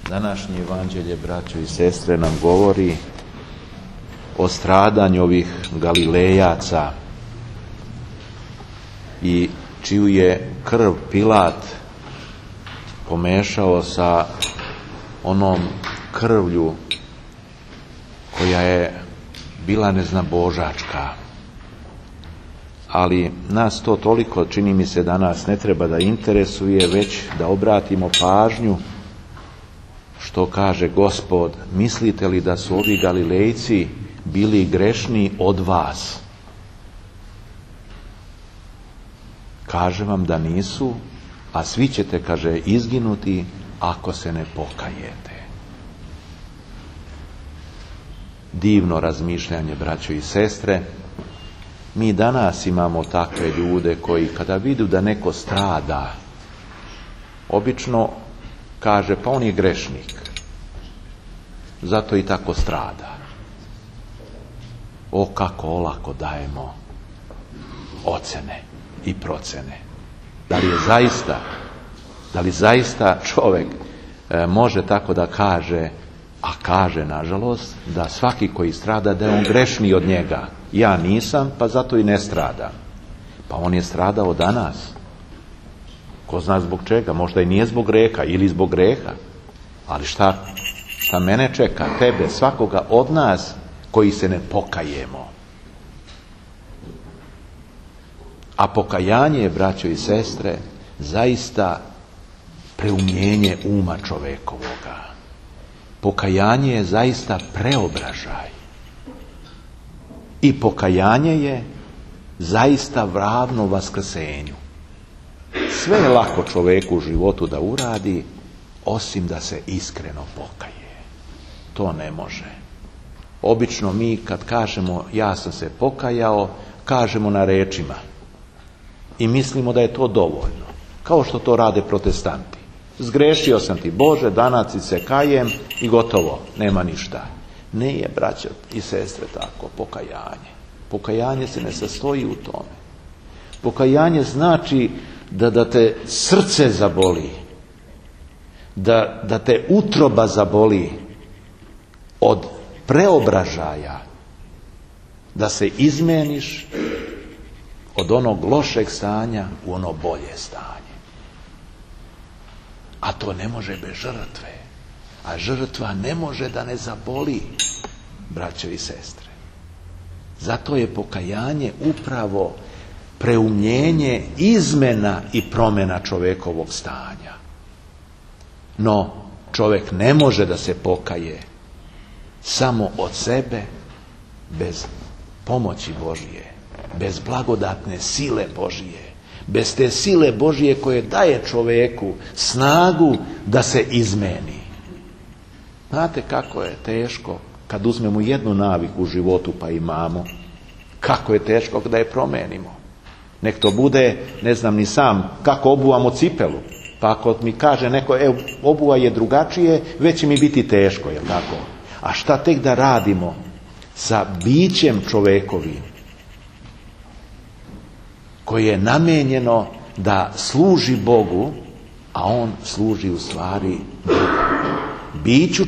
Današnje evanđelje, braćo i sestre, nam govori o stradanju ovih Galilejaca i čiju je krv Pilat pomešao sa onom krvlju koja je bila neznabožačka. Ali nas to toliko, čini mi se, danas ne treba da interesuje, već da obratimo pažnju što kaže Gospod: mislite li da su ovi Galilejci bili grešniji od vas? Kaže vam da nisu, a svi ćete, kaže, izginuti ako se ne pokajete. Divno razmišljanje, braćo i sestre. Mi danas imamo takve ljude koji kada vidu da neko strada, obično kaže: pa on je grešnik, zato i tako strada. O, kako olako dajemo ocene i procene. Da li zaista čovjek može tako da kaže, a kaže nažalost, da svaki koji strada da je on grešniji od njega. Ja nisam, pa zato i ne stradam. Pa on je stradao danas. Ko zna zbog čega? Možda i nije zbog greha ili zbog greha. Ali šta mene čeka, tebe, svakoga od nas koji se ne pokajemo? A pokajanje je, braćo i sestre, zaista preumljenje uma čovekovoga. Pokajanje je zaista preobražaj. I pokajanje je zaista ravno vaskrsenju. Sve je lako čoveku u životu da uradi, osim da se iskreno pokaje. To ne može. Obično mi kad kažemo ja sam se pokajao, kažemo na rečima. I mislimo da je to dovoljno. Kao što to rade protestanti. Zgrešio sam ti, Bože, danas se kajem i gotovo, nema ništa. Nije, braćo i sestre, tako pokajanje. Pokajanje se ne sastoji u tome. Pokajanje znači da te srce zaboli, da te utroba zaboli od preobražaja, da se izmeniš od onog lošeg stanja u ono bolje stanje. A to ne može bez žrtve. A žrtva ne može da ne zaboli, braćo i sestre. Zato je pokajanje upravo preumljenje, izmena i promjena čovekovog stanja. No, čovjek ne može da se pokaje samo od sebe, bez pomoći Božije, bez blagodatne sile Božije, bez te sile Božije koje daje čovjeku snagu da se izmeni. Znate kako je teško kad uzmemo jednu naviku u životu, pa imamo, kako je teško da je promenimo. Nek to bude, ne znam ni sam, kako obuvamo cipelu. Pa ako mi kaže neko, obuva je drugačije, već će mi biti teško, jel tako? A šta tek da radimo sa bićem čovekovim, koje je namenjeno da služi Bogu, a on služi u stvari Bogu. Biću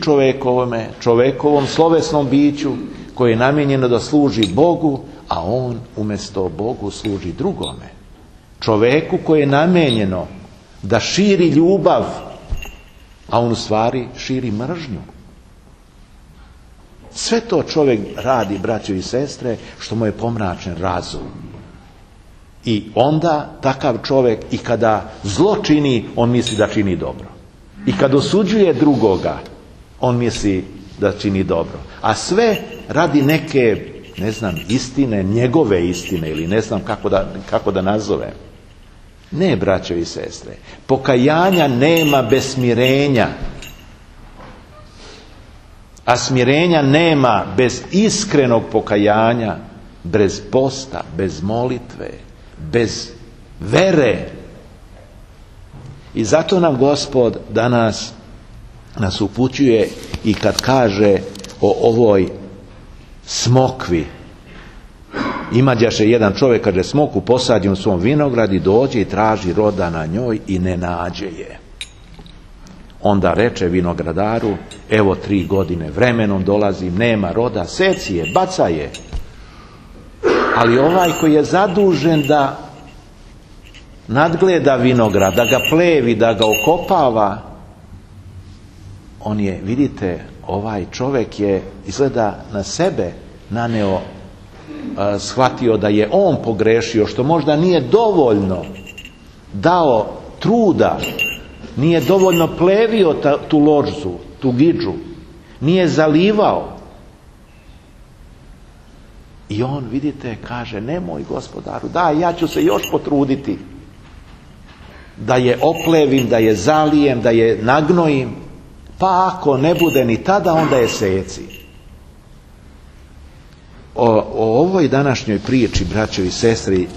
čovekovom slovesnom biću koje je namijenjeno da služi Bogu, a on umjesto Bogu služi drugome. Čoveku koje je namijenjeno da širi ljubav, a on u stvari širi mržnju. Sve to čovjek radi, braćo i sestre, što mu je pomračen razum. I onda takav čovjek i kada zlo čini, on misli da čini dobro. I kad osuđuje drugoga, on misli da čini dobro. A sve radi neke, ne znam, istine, njegove istine, ili ne znam kako da nazovem. Ne, braćo i sestre, pokajanja nema bez smirenja. A smirenja nema bez iskrenog pokajanja, bez posta, bez molitve, bez vere. I zato nam Gospod danas nas upućuje i kad kaže o ovoj smokvi. Imađaše jedan čovjek, kaže, smoku posadi u svom vinogradi, dođe i traži roda na njoj i ne nađe je. Onda reče vinogradaru, evo 3 godine vremenom dolazim, nema roda, seci je, bacaj je. Ali ovaj koji je zadužen da nadgleda vinograd, da ga plevi, da ga okopava, on je, vidite, ovaj čovjek je izgleda na sebe naneo, shvatio da je on pogrešio, što možda nije dovoljno dao truda, nije dovoljno plevio tu ložu, tu gidžu, nije zalivao. I on, vidite, kaže, nemoj gospodaru, daj, ja ću se još potruditi da je oplevim, da je zalijem, da je nagnojim, pa ako ne bude ni tada, onda je seci. O ovoj današnjoj priči, braćo i sestri,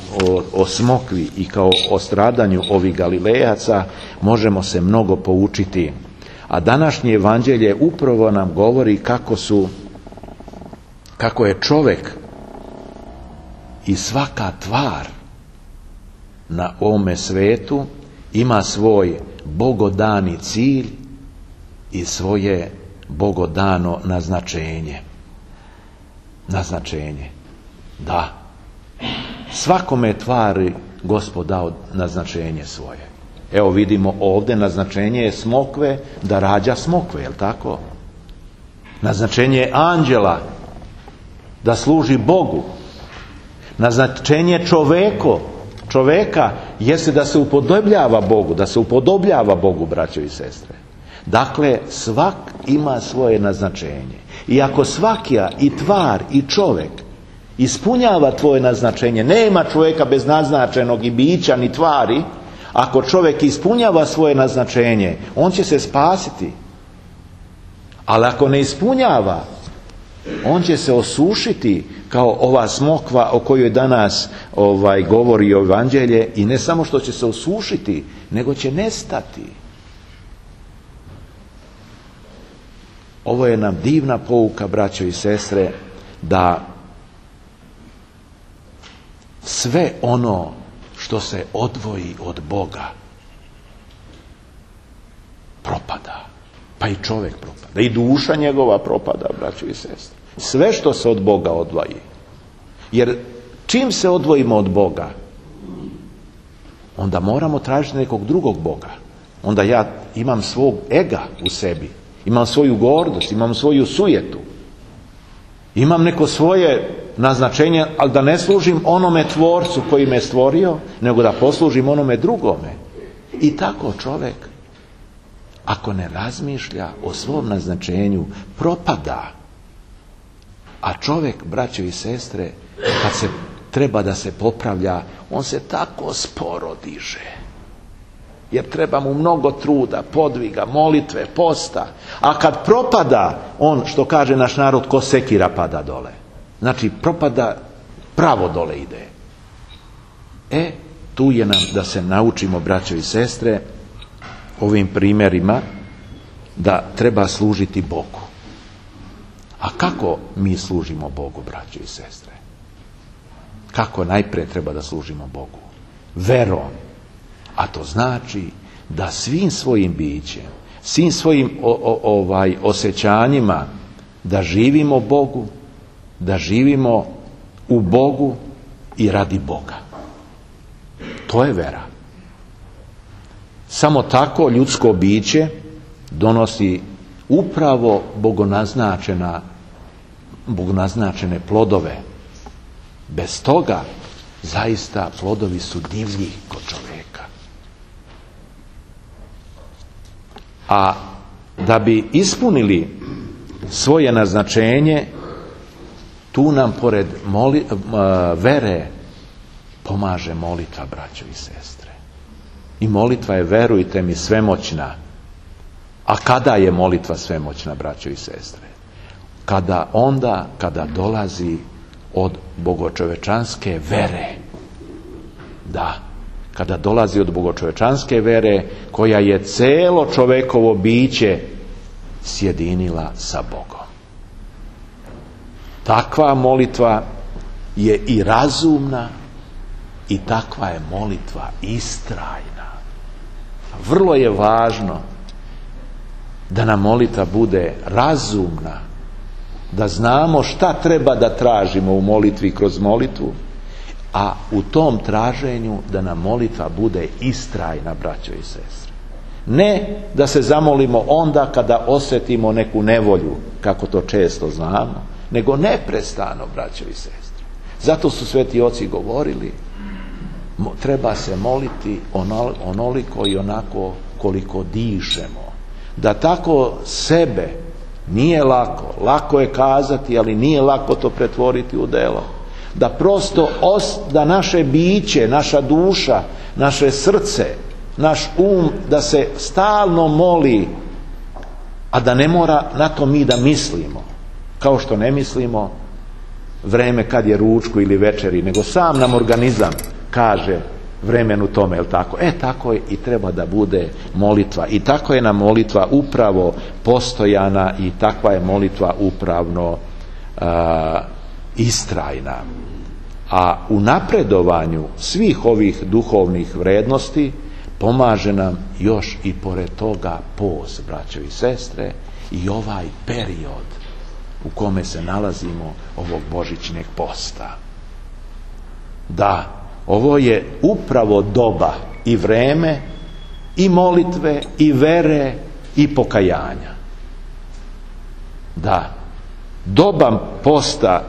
o smokvi i kao o stradanju ovih Galilejaca možemo se mnogo poučiti. A današnje evanđelje upravo nam govori kako je čovjek i svaka tvar na ovome svetu ima svoj bogodani cilj i svoje bogodano naznačenje. Naznačenje. Da. Svakome tvari Gospod dao naznačenje svoje. Evo vidimo ovdje naznačenje je smokve da rađa smokve, je li tako? Naznačenje je anđela da služi Bogu. Naznačenje čoveka jeste da se upodobljava Bogu, da se upodobljava Bogu, braćo i sestre. Dakle, svak ima svoje naznačenje. I ako svaka i tvar i čovjek ispunjava tvoje naznačenje, nema čovjeka bez naznačenog i bića ni tvari, ako čovjek ispunjava svoje naznačenje, on će se spasiti. Ali ako ne ispunjava, on će se osušiti kao ova smokva o kojoj danas govori evanđelje, i ne samo što će se osušiti, nego će nestati. Ovo je nam divna pouka, braćo i sestre, da sve ono što se odvoji od Boga propada. Pa i čovjek propada. I duša njegova propada, braćo i sestre. Sve što se od Boga odvoji. Jer čim se odvojimo od Boga, onda moramo tražiti nekog drugog Boga. Onda ja imam svog ega u sebi. Imam svoju gordost, imam svoju sujetu. Imam neko svoje naznačenje, ali da ne služim onome tvorcu koji me stvorio, nego da poslužim onome drugome. I tako čovjek, ako ne razmišlja o svom naznačenju, propada. A čovjek, braćo i sestre, kad se treba da se popravlja, on se tako sporo diže. Jer treba mu mnogo truda, podviga, molitve, posta. A kad propada, on, što kaže naš narod, ko sekira pada dole. Znači, propada, pravo dole ide. Tu je nam da se naučimo, braćo i sestre, ovim primjerima, da treba služiti Bogu. A kako mi služimo Bogu, braćo i sestre? Kako najprije treba da služimo Bogu? Verom. A to znači da svim svojim bićem, svim svojim osjećanjima, da živimo Bogu, da živimo u Bogu i radi Boga. To je vera. Samo tako ljudsko biće donosi upravo bogonaznačene plodove. Bez toga zaista plodovi su divlji kod čovjeka. A da bi ispunili svoje naznačenje, tu nam pored vere pomaže molitva, braćo i sestre. I molitva je, verujte mi, svemoćna. A kada je molitva svemoćna, braćo i sestre? Kada dolazi od bogočovečanske vere. Da, kada dolazi od bogočovečanske vere, koja je celo čovekovo biće sjedinila sa Bogom. Takva molitva je i razumna, i takva je molitva istrajna. Vrlo je važno da nam molitva bude razumna, da znamo šta treba da tražimo u molitvi kroz molitvu, a u tom traženju da nam molitva bude istrajna, braćo i sestre. Ne da se zamolimo onda kada osjetimo neku nevolju, kako to često znamo, nego neprestano, braćo i sestre. Zato su sveti oci govorili, treba se moliti onoliko i onako koliko dišemo. Da tako sebe, nije lako je kazati, ali nije lako to pretvoriti u delo. Da prosto da naše biće, naša duša, naše srce, naš da se stalno moli, a da ne mora na to mi da mislimo, kao što ne mislimo vreme kad je ručku ili večeri, nego sam nam organizam kaže vremenu tome, jel tako? Tako je i treba da bude molitva. I tako je nam molitva upravo postojana i takva je molitva upravno istrajna. A u napredovanju svih ovih duhovnih vrednosti pomaže nam još i pored toga post, braćo i sestre, i ovaj period u kome se nalazimo ovog božićnog posta. Da, ovo je upravo doba i vreme i molitve i vere i pokajanja. Da, doba posta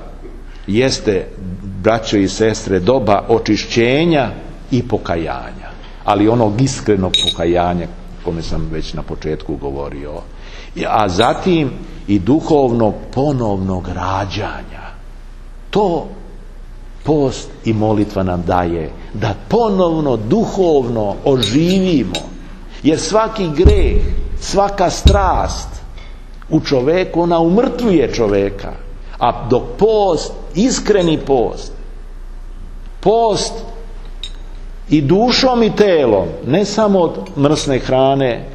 jeste, braćo i sestre, doba očišćenja i pokajanja, ali onog iskrenog pokajanja, kome sam već na početku govorio, a zatim i duhovnog ponovnog rađanja. To post i molitva nam daje, da ponovno duhovno oživimo, jer svaki greh, svaka strast u čoveku, ona umrtvuje čoveka, a dok post, iskreni post i dušom i telom, ne samo od mrsne hrane,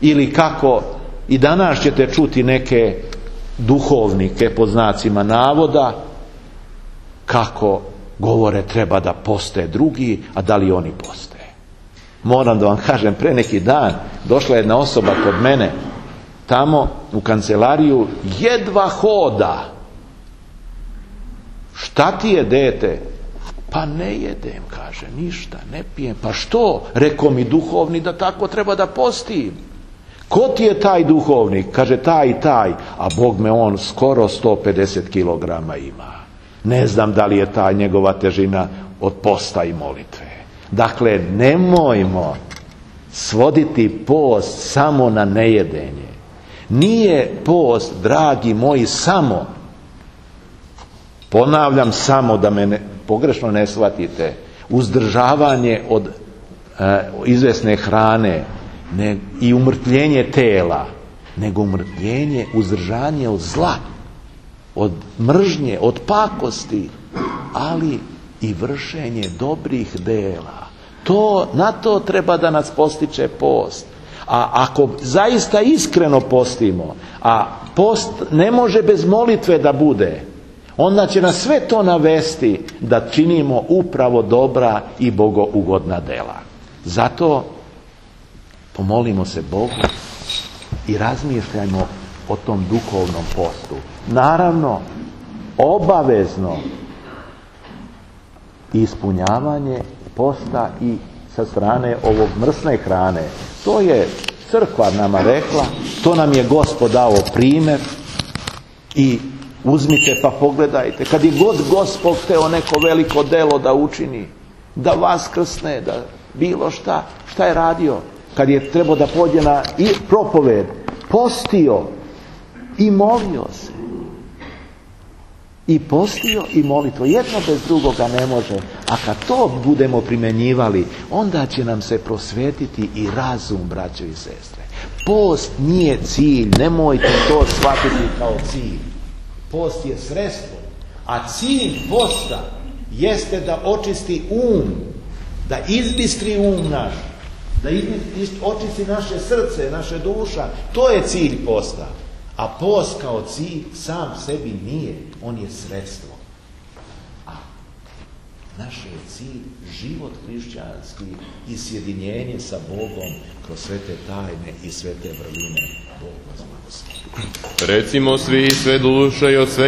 ili kako i danas ćete čuti neke duhovnike pod znacima navoda kako govore treba da poste drugi, a da li oni poste. Moram da vam kažem, pre neki dan došla jedna osoba kod mene tamo u kancelariju, jedva hoda. Šta ti je, dete? Pa ne jedem, kaže, ništa, ne pijem. Pa što? Rekao mi duhovni da tako treba da postim. Ko ti je taj duhovnik? Kaže, taj i taj. A Bog me, on skoro 150 kilograma ima. Ne znam da li je ta njegova težina od posta i molitve. Dakle, nemojmo svoditi post samo na nejedenje. Nije post, dragi moji, samo, ponavljam, samo, da me pogrešno ne shvatite, uzdržavanje od izvesne hrane i umrtljenje tela, nego umrtljenje, uzdržanje od zla, od mržnje, od pakosti, ali i vršenje dobrih dela. Na to treba da nas postiče post. A ako zaista iskreno postimo, a post ne može bez molitve da bude, onda će nas sve to navesti da činimo upravo dobra i bogougodna dela. Zato pomolimo se Bogu i razmišljajmo o tom duhovnom postu. Naravno, obavezno ispunjavanje posta i sa strane ovog mrsne hrane. To je crkva nama rekla, to nam je Gospod dao primjer i uzmite pa pogledajte. Kad je god Gospod hteo neko veliko delo da učini, da vaskrsne, da bilo šta je radio? Kad je trebao da pođe na propoved, postio i molio se. I postio i molitvo. Jedno bez drugoga ne može. A kad to budemo primjenjivali, onda će nam se prosvetiti i razum, braćo i sestre. Post nije cilj. Nemojte to shvatiti kao cilj. Post je sredstvo. A cilj posta jeste da očisti da izbistri naš, da očisti naše srce, naše duša. To je cilj posta. A post kao cilj sam sebi nije, on je sredstvo. Naš je cilj život hrišćanski i sjedinjenje sa Bogom kroz sve te tajne i sve te vrline. Bog vas blagoslovi. Recimo svi sve duše i od sve